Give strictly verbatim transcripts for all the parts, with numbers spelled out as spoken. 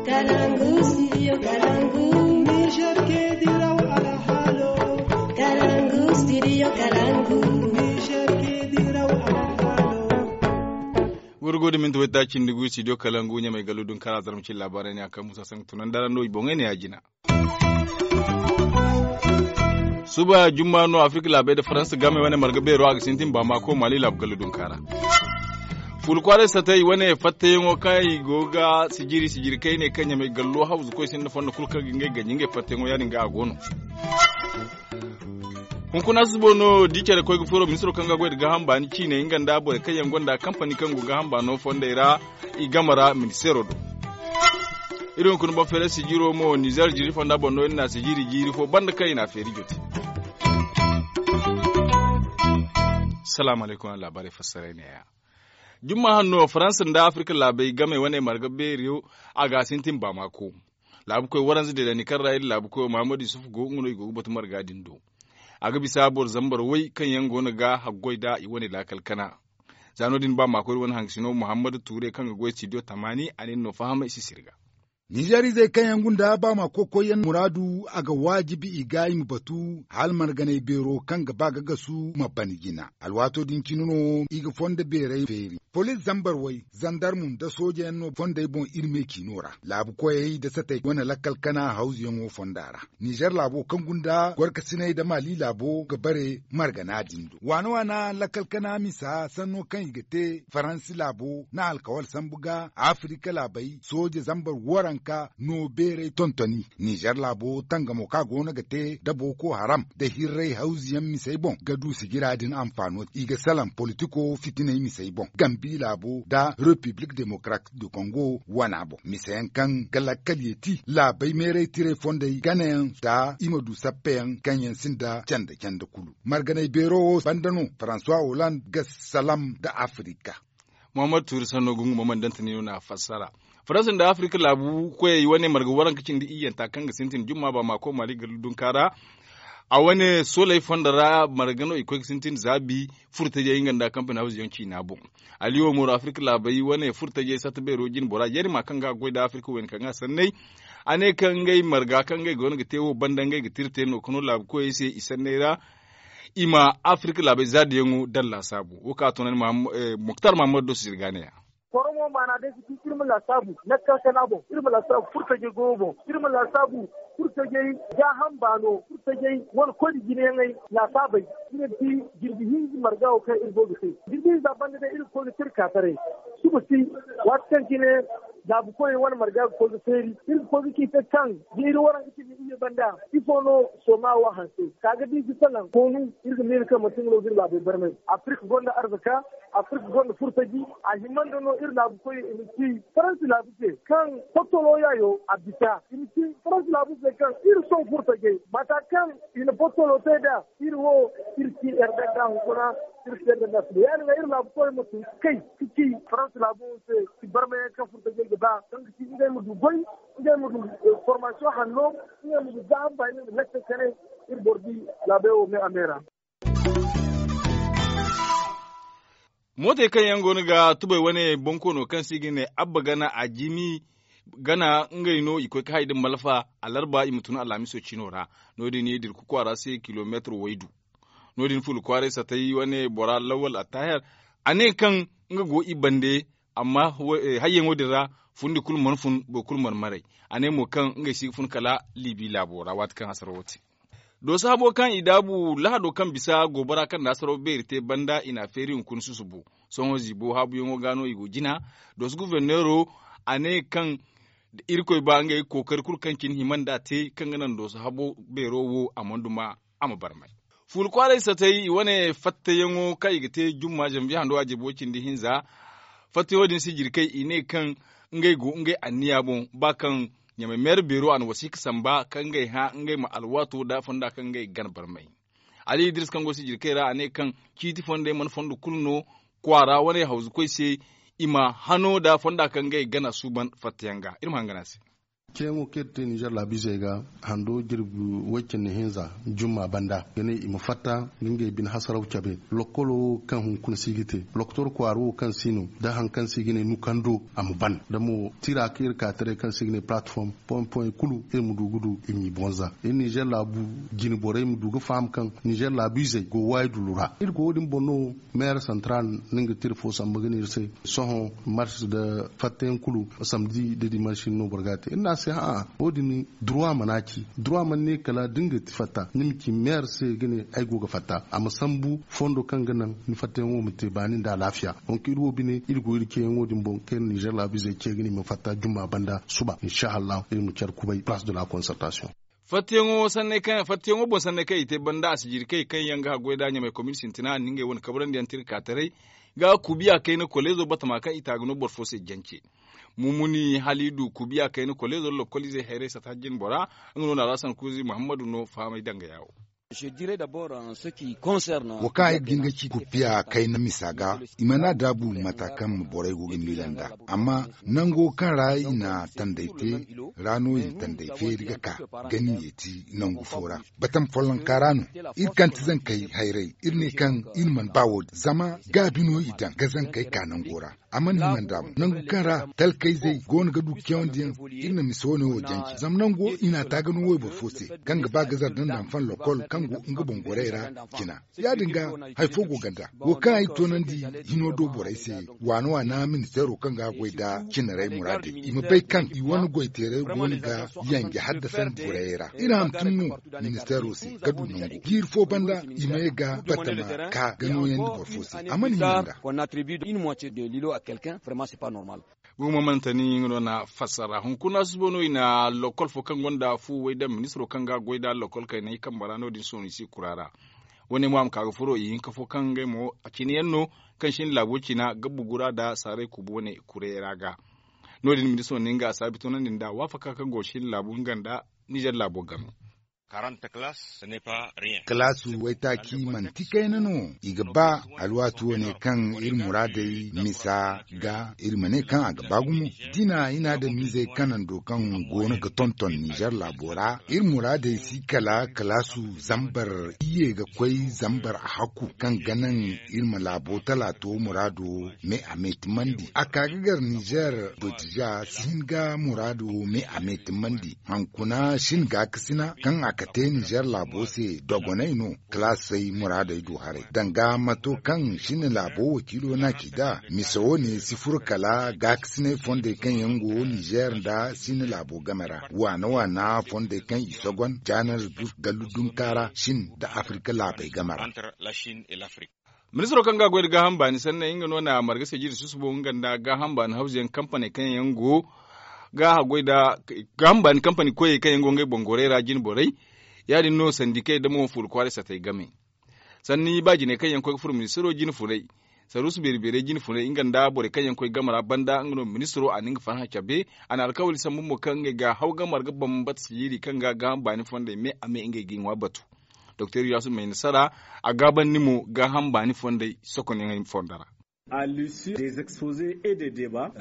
Kalangu, studio Kalangu. Niger ke diraw alhalo. Kalangu, studio Kalangu. Niger ke diraw alhalo. Wurgo da minti wayta cindi gu studio Kalangu ɲamay gallu dun kara zarma cin labarai ne a kan musa sanka tunan dara no i boŋay ne ya jina. Suba jumma no afirka laabey da faransa game wane marga beero a ga sintin baamaako mali laabu gallu dunkaara. Fuula kwaaray satay wane fattayaŋo kaŋ i go ga sijiri sijiri kayne kaŋ ɲamay gallo hawzu koy sinda fondo kulu kaŋ ga ngey ganji ngey fattayaŋo ya- din ga a go no. Hunkuna susubo no di care koy ga furo ministiro kaŋ ga goy nda gaaham baani ciiney nga nda borey kaŋ yaŋ gonda kampani kaŋ go gaaham baano fondey ra. I game ra ministeero do. Iri hunkuna boŋ feeray sijiro mo nizer jiiri fonda boŋ no iri na sijiri jiiri fo banda kaŋ i na a feeri jote. Salaamu alaykum araŋ laabaarey fassaray neeya. Jumma hanno faransa nda afirka laabey game wane marga beeriyo a ga a sintin baamaako. Laabukoy waranza deedandi kaŋ ra iri laabukoyo mahamadu yusuf go nga no i go ga batu marga din do. A ga bisa boro zambar way kaŋ yaŋ go no ga haggoy nd'a i wane laakal kana. Za no- din ba maakoy iri wane hangasino muhammadu tuure kaŋ ga goy studio tamaani a ne ni no fahamay si sirga. Nizeer izey kaŋ yaŋ gunda ba maakoy koyyaŋ muraadu a ga waajibi i ga i ma batu hala marganay beero kaŋ ga ba ga gasu ma ban jina. Alwaato din cine no i ga fondo beerey feeri. Poliis zambar way zandarmu nda soojeyaŋ no fondey boŋ iri me ciino ra laabu koyey nda satey wane lakkal kana hawzuyaŋo fonda ra. Nizer laabo kaŋ gunda gorkasinay nda mali laabo ga bare margana din do waana waana lakkal kana misa sanno kaŋ i ga te faransi laabo na alkawal sambu ga afirika laabey sooje zambar waranka no beeray tontoni. Nizer laabo tangamo kaŋ a go no ga te nda boko haram nda hirray hawzuyaŋ misey boŋ ga du sijira din anfaano i ga salaŋ politiko fitinay misey boŋ gambi laabo nda repiblik demokratik du kongo wana boŋ miseyaŋ kaŋ ga lakkal yeeti laabey meeray tiray fondey ganayaŋ nda i ma du sappeyaŋ kaŋ yaŋ sinda canda canda kulu. Marganay beero wo banda no faransuwa holand ga salam nda afirika. Muhammad tuuri sanno gungu muhammad dantani no na fassara. Faransa nda afirika laabu koyey wane marga waranka cindi iyyanta kaŋ ga sintin jumma ba maako mali ga dundunka ra. A wane sooley fondo ra marga no i koy ga sintin zaabi furtajey nga nda kampani hawzuyaŋ ciina boŋ. Aliyo moro afirka laabey wane furtajey satta beero jine bora yarima kaŋ ga a goy nda afirka wayna kaŋ ga a sanney. A ne kaŋ ngey marga kaŋ ngey go no ga te wo banda ngey ga tira te no ga no laabu koyey se i sanney ra. I ma afirka laabey zaadiyaŋo daŋ laasaabu wo kaŋ a toonandi muktar mahammadu do si zirga ne ya. Koromo maana day si ci iri ma laasaabu nakkal kana boŋ iri ma laasaabu furtajey goyo boŋ iri ma laasaabu furtajey gaaham baano furtajey wane koyne jineyaŋey laasaabey. Iri ma ci jirbi hinza marga wo kaŋ iri go ga te jirbi hinza banda day iri ga koy ga tira kaataray. Suba si waati kaŋ cine laabu koyey wane marga ga koy ga feeri iri ga koy ga ci se kaŋ da iri waranka cindi iyye banda ifo no sooma wo hanse ka ga da i si salaŋ koonu. Iri ga miila kaŋ manti nga no ga iri laabey barmay afirka gonda arzaka. Afirka gonda furtaji a hima nda no iri laabu koy i ma ci faransi laabu se kaŋ fottolo yaayo a bisa i ma ci faransi laabu se kaŋ iri sohõ furtajey mata kaŋ i na fottolo te nd'a. Iri wo iri ci erdanda hunkuna iri ci erdanda sila ya- din ga iri laabu koy ma tun ga kay ga ci faransi laabu se. Ci barmayaŋ kaŋ furtajey ga ba kaŋ ga ci ngey ma du goy ngey ma du formasiyoŋ hanno ngey ma du gaaham baani nda lakkey kanay. Iri boro di laabey wo me a me ra. Mootey kaŋ yaŋ go no ga tubay wane bonkoono kaŋ se i ga ne abba gana a jimi gana ngey no i koy ga hay nda malfa alarba i ma tun alhamiso cino ra. No- din i dirku kwaara se kilomeetir waydu. No- din fuula kwaaray satay wane bora lawal attahir a ne kaŋ nga go i bande. Amma hayyaŋo din ra fundi kulu mana fun boro kulu mana maray. A ne mo kaŋ ngey si ga fun kala libi laabo ra waati kaŋ hasarawo te. Dooso habo kaŋ i daabu lahado kaŋ bisa goobara kaŋ na hasaraw beeri te banda i n'a feeri hunkuna susubo. Sohõ ziibo haabuyaŋo ga no i go jina. Dooso guberneero a ne kaŋ da irkoy ba ngey kookari kulu kaŋ cine hima nd'a te kaŋ ga naŋ dooso habo beero wo a mana duma a ma barmay. Fuula kwaaray satay i wane fattayaŋo kaŋ i ga te jumma zanviye hando a jirbo cindi hinza. Fattayaŋo din si jirkay i ne kaŋ ngey go ngey anniya boŋ ba kaŋ ɲamay meera beero a na wasiika samba kaŋ ngey hã ngey ma alwaato da fonda kaŋ ngey gana barmay. Ali idris kaŋ go sijirkey ra a ne kaŋ ciiti fondey mana fondo kulu no kwaara wane hawzukoy se. I ma hano da fonda kaŋ ngey gana suuban fattayaŋ ga iri ma hangan a se. Ceeyaŋo kaŋ iri te ninzeer laabiizey ga hando jirbi way-cindi hinza jumma banda ga ne i ma fatta ga ngey bine hasaraw cabe. Lokkolo wo kaŋ hunkuna si ga te doktor kwaara wo kaŋ si no nda hari kaŋ se i ga ne nukando a ma ban da mo tira kaŋ iri ka taray kaŋ se i ga ne palatform point point kulu iri ma du ga du i m'i bonza iri ninzeer laabu jine borey ma du ga faham kaŋ ninzeer laabiizey go waayi dulu ra iri go wo- din boŋ no. Meeyer santaral no nga tira fo samba ga ne iri se sohõ marsi nda fattayaŋ kulu samdi nda dimansi no boro ga a te iri ne a se hã'a wo- din duruwa mana ci duruwa mana ne kala da ni ga ti fatta ni ma ci meeyer se ga ne ay go ga fatta a ma sambu fondo kaŋ ga naŋ ni fattayaŋo ma te baani nda alaafiya. Donk iri wo bine iri go iri ceeyaŋo din boŋ kaŋ iri ninzeer laabiizey ce ga ne i ma fatta jumma banda suba insa allahu iri ma care kubay place de la concertation. Fattiyaŋo boŋ sanney kaŋ i te banda a si jiiri kay kaŋ yaŋ ga haggoy nd'a ɲamay komin sintina a na ngey wane kabrandi yaŋ tirka taray ga kubiya kayna koleezo batama kaŋ i ta ga no boro fo se jance. Mumuni hala i du kubiya kayna koleezo lokkol izey hayray sata jinbora. Nga no na alhasan kuuzi muhammadu no fahamay danga yaawo. Wo kaŋ ay ga hin ga ci kubiya kayna misa ga i mana daabu mata kaŋ borey go ga miila nd'a. Amma nango kaŋ ra i na tanday te ra no i na tanday feeri ga ka gani yeeti nangu fo ra. Batam follonka ra no iri kaŋ ti zankey hayray iri ne kaŋ iri mana ba wo- din zama gaabi no i daŋ ga zankey ka nango ra. A mana hima nd'a mo nangu kaŋ ra talkayzey go no ga du ceewandiyaŋ. Iri na misa wane wo janci zama nango i n'a ta ga no wayboro fo se kaŋ ga ba gazar da nd'a ma fan lokkol kaŋ go nga boŋ gorey ra. Cina ya- din ga hari fo go ganda wo kaŋ ay toonandi hino do borey se. Waana waana ministeero kaŋ ga a goy nda cinarey muraadey i ma bay kaŋ i wane goyteerey go no ga yanje haddasandi borey ra iri hantum no. Ministeero se ga du nangu jiiri fo banda i ma ye ga batama ka ga nooyandi boro fo se a mana hima nd'a. Gumo mantani nga no na fassara hunkuna susubo no i na lokkol fo kaŋ gonda fu way daŋ ministiro kaŋ ga goy da lokkol kaynay kambe ra no- din sohõ i si kura ra. Wane mo a ma ka ga furo i hinka fo kaŋ ngey mo a cine yaŋ no kaŋ sinda laabo cina ga bugu ra nda saaray kubu wane kuray ra ga. No- din ministiro ne nga a saabi toonandi nda waafaka kaŋ go sinda laabu nga nda nizer laabo game. Kalaasu waytaaci manti kayna no i ga ba alwaati wane kaŋ iri muraadey misa ga iri ma ne kaŋ a ga ba gumo. Dina i na adamizey kanando kaŋ go no ga tonton nizer laabo ra iri muraadey si kala kalaasu zambar iyye ga koy zambar a hakku kaŋ ga naŋ iri ma laabo talaato muraado me a meetimandi a ka ga gar nizer. Botija si hin ga muraado me a meetimandi hankuna shin gaakasina kaŋ a ka te nizer laabo se dogonay no. Kalaasey muraadey du haray danga mato kaŋ shin laabo wakiilo na ci nd'a misa wane si furo kala gaakasinay fondey kaŋ yaŋ go nizer nda shin laabo game ra waana waana fondey kaŋ i sogon janar gallu dunka ra shin nda afirka laabey game ra. Ministiro kaŋ ga a goy nda gaaham baani sanney nga no na marga se jiri susubo nga nda gaaham baani hawzuyaŋ kampaney kaŋ yaŋ go ga a goy nda gaaham baani kampani koyey kaŋ yaŋ go ngey boŋ gorey ra jine borey. Ya- din no sandikey nda mo fuula kwaaray satey game. Sanni ba jiney kaŋ yaŋ koy ga furo ministiro jine funay saruusu beeri beerey jine funay nga nda borey kaŋ yaŋ koy game ra banda nga no ministiro a na nga farhã cabe. A na alkawali sambu mo kaŋ ngey ga haw ga marga bambata sijiiri kaŋ ga gaaham baani fondey me a me ngey ga i ŋwa batu. Doktor yaasu may nasara a gaabandi mo gaaham baani fondey sokonyaŋey fonda ra.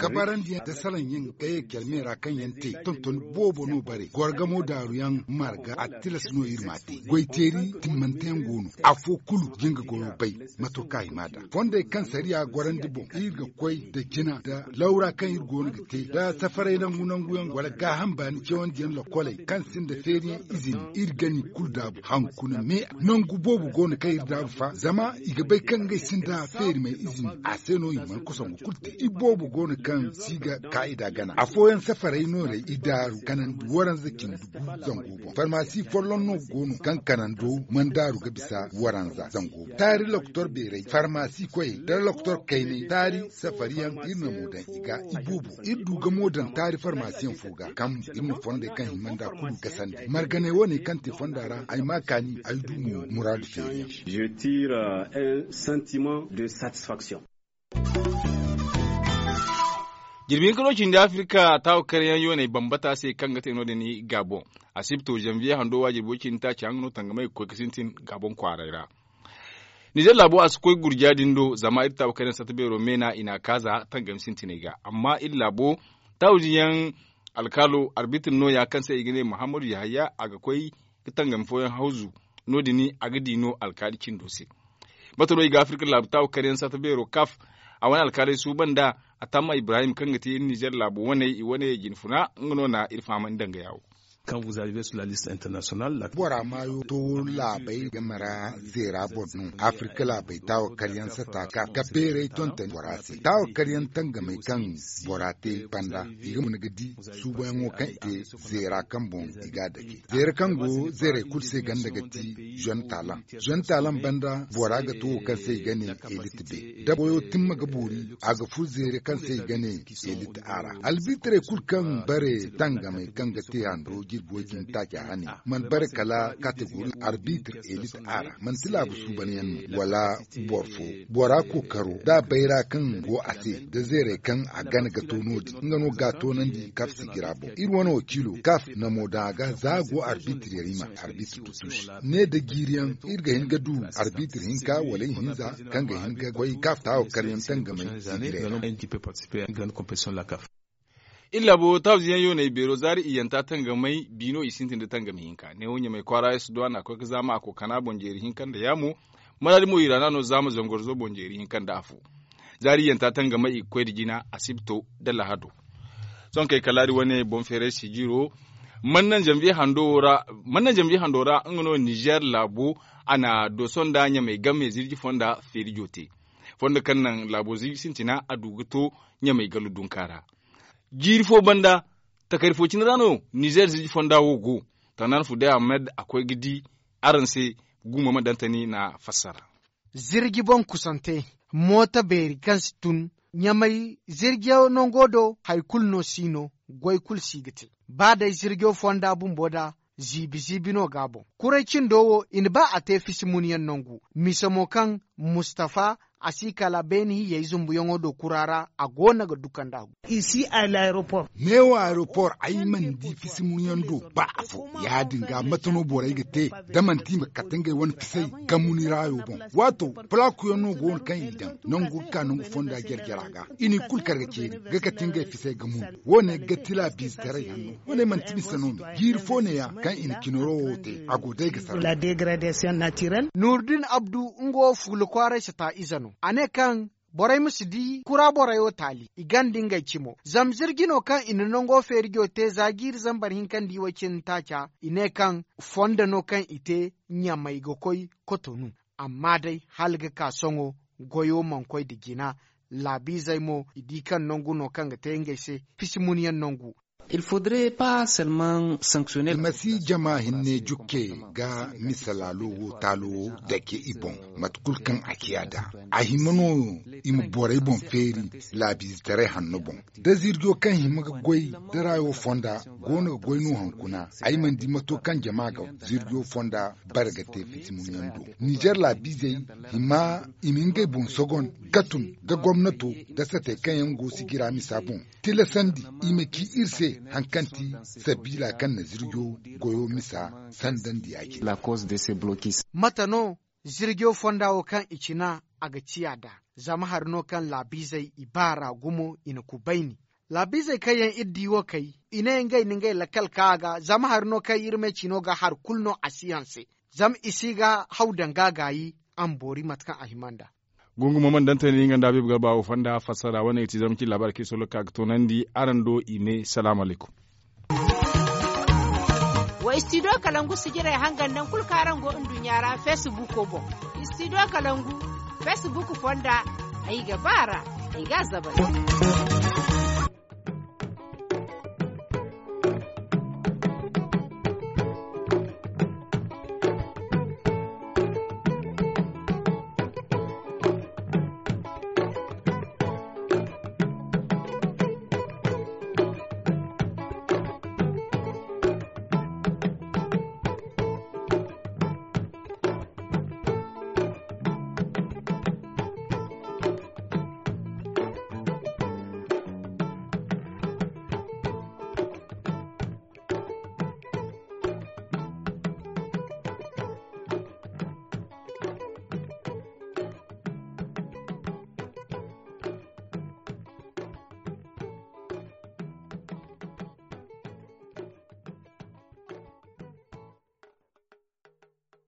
Kabarandiyaŋ da salaŋ yaŋ ga ye care me ra kaŋ yaŋ te tontoni boobo no bare gorgamo daaruyaŋ marga a tilas no iri m'a te goy teeri timmanteyaŋ go no. Afo kulu ga nga goyo bay. Mato ka i m'a da fondey kaŋ sariya gorandi boŋ iri ga koy nda jina nda lawra kaŋ iri go no ga te nda safaray nangu nanguyaŋ wala gaaham baani cewandiyaŋ lakoley kaŋ sinda feeriyaŋ izini iri gani kulu daabu hankuna me nangu boobo go no kaŋ iri daabu fa zama i ga bay kaŋ ngey sinda feeri may izini a se no i mana kosongu kulu te i boobo go no kaŋ si ga kaa'ida gana afooyaŋ safaray nooray i daaru kanandi waranza cindi gu zango boŋ farmasi folloŋ no go no kaŋ kanando mana daaru ga bisa waranza zango taari lokotor beeray farmasi koyey da lokotor kaynay taari safariyaŋ iri na mo daŋ i ga i boobo iri du ga mo daŋ taari farmasiyaŋ fo ga kaŋ iri na fondey kaŋ hima nda kulu gasandi marganey wane kaŋ te fonda ra ay ma kaani ay du mo muraadu feeriyaŋ. Jirbi hinka no cindi afirka taawa karyaŋ yooney bambata se kaŋ ga te no- din gabon asibto zanviye hando waajirbo cindi taaci haŋ no tangamey ga koy ga sintin gabon kwaaray ra. Nizer laabo a si koy gurja din do zama iri taawa karyaŋ satta beero meena i n'a kaaza tangami sintiney ga amma iri laabo taawujiyaŋ Alkaalo arbitr nooya kaŋ se i ga ne muhammadu yahaya a ga koy ga tangami fooyaŋ hawzu. No- din a ga di no alkaali cindo se. Mate no i ga afirka laabu taawa karyaŋ satta beero kaf. A wane alkaaley suuban nd'a. A tamma ibrahim kaŋ ga te iri nizer laabo waney i wane jinfuna nga no na iri fahamandi danga yaawo. Bora maayo to laabey game ra zeera boro no afirka laabey taawa karyaŋ satta ka beerey tonton bora se taawa karyaŋ tangamey kaŋ bora te banda i ga muna ga di suubayaŋo kaŋ i te zeera kaŋ boŋ i ga a dake zeera kaŋ go zeerey kulu se ganda ga ti zone talan. Zone talan banda bora ga to wo kaŋ se i ga ne elit be da boyo timma ga boori a ga fur zeere kaŋ se i ga ne elit a ra albitrey kulu kaŋ bare tangamey kaŋ ga te hando jirbi way-cindi taaca hane mana bare kala kategori arbitr elit a ra manti laabu suubanyaŋ no wala boro fo bora kookaro da bayra kaŋ go a se da zeerey kaŋ a gana ga to no- din nga no ga a toonandi kaf sigira boŋ iri wane wakiilo kaf namo daŋ a ga za a go arbitr yarima arbitr du tuusi ne da jiiriyaŋ iri ga hin ga du arbitr hinka wala ihinza kaŋ ga hin ga koy kaf taawa karyaŋ tangamey sigira yaŋ. Iri laabo tawziyaŋ yooney beero zaari iyyanta tangamey biino i sintin da tangami hinka neewo ɲamey kwaara ya si duwa na koy ga zaama a kookana boŋ jeeri hinka nda yaamo. Maraadi mo iraana no zaama zangorzo boŋ jeeri hinka nda afo. Zaari iyyanta tangamey i ga koy nda jina asibto nda lahado. Sohõ kay kala iri wane boŋ feeray sijiro man naŋ zanviye hando ra nga no nizer laabo. A na dooso nda ɲamey game zirji fonda feerijo te fondo kaŋ naŋ laabo zirji sintina a du ga to ɲamey gallu dunka ra. Jiiri fo banda takari fo cine ra no nizer zirji fonda wo go. Tanaan fuday ahmed a koy ga di araŋ se. Gumo ma dantani na fassara. Zirji boŋ kusante mooto beeri kaŋ si tun ɲamay zirjiyaŋ nango do hari kulu no si no goy kulu si ga te. Ba day zirjiyaŋ fonda bumbo da ziibi ziibi no ga a boŋ kuray cindo wo i na ba a te fisi munyaŋ nangu mise mo kaŋ mustafa a si kala beene hiyey zumbuyaŋo do kura ra a go no ga dukandi a go. Neewo aeropor ay mana di fisi munyaŋ do ba afo. Ya- din ga mate no borey ga te da manti i ma kate ngey wane fisey ga munu raayo boŋ. Waato palakuyaŋ no go no kaŋ i daŋ nangu ga ka nangu fonda jare jare a ga i n'i kulu kar ga ceeri ga kate ngey fisey ga munu. Wo- ne ga ti laabiizetaray hanno wo- ne manti mise no me jiiri fo ne- ya kaŋ i na cinaro wo te a go day ga sara. Nuurdin abdu nga wo fuula kwaaray sata ize no a ne kaŋ borey ma si di kura borey wo taali i ganda ngey cimo zama zirji no kaŋ i na nango feerijo te za jiiri zambar hinka nda i way cindi taaca i ne kaŋ fondo no kaŋ i te ɲamey ga koy kotonu. Amma day hala ga ka sohõ goyo mana koy nda jina laabiizey mo i di kaŋ nangu no kaŋ ga te ngey se fisi munyaŋ nangu. I ma si jama hinne jukke ga mise laalo wo taalo wo dake i boŋ mate kulu kaŋ a ciya nd'a. A hima no i ma borey boŋ feeri laabiizetaray hanno boŋ da zirjo kaŋ hima ga goy da raayo fonda go no ga goy no hunkuna. Ay mana di mato kaŋ jama ga zirjo fonda bare ga te fiti muɲyaŋ do. Nizer laabiizey hima i ma ngey boŋ sogon ga tun da gomnato da satey kaŋ yaŋ go sijira misa boŋ tilasandi i ma ci iri se hari kaŋ ti sabiila kaŋ na zirjo goyo misa sandandi ya- cine. Mate no zirjo fonda wo kaŋ i cina a ga ciya nd'a? Zama hari no kaŋ laabiizey i baar'a gumo i na kubayni. Laabiizey kaŋ yaŋ iri di wo kay i ne ngey na ngey lakkal ka a ga zama hari no kaŋ iri me cino ga hari kulu no a si hanse. Zama i si ga haw danga gaayi a ma boori mate kaŋ a hima nd'a. Gungu mo mana dantani nga nda habiibu garba wo fonda fassara wane ga ti zama cine laabaari kaŋ iri solo ga ka ga toonandi araŋ do i me salaamu alaykum. Wa istidiyo kalangu sijirey hangan nangu kulu kaŋ araŋ go nduɲɲa ra feesibuuko boŋ. Istidiyo kalangu feesibuuko fonda ay ga ba a ra. Ay ga a zabari.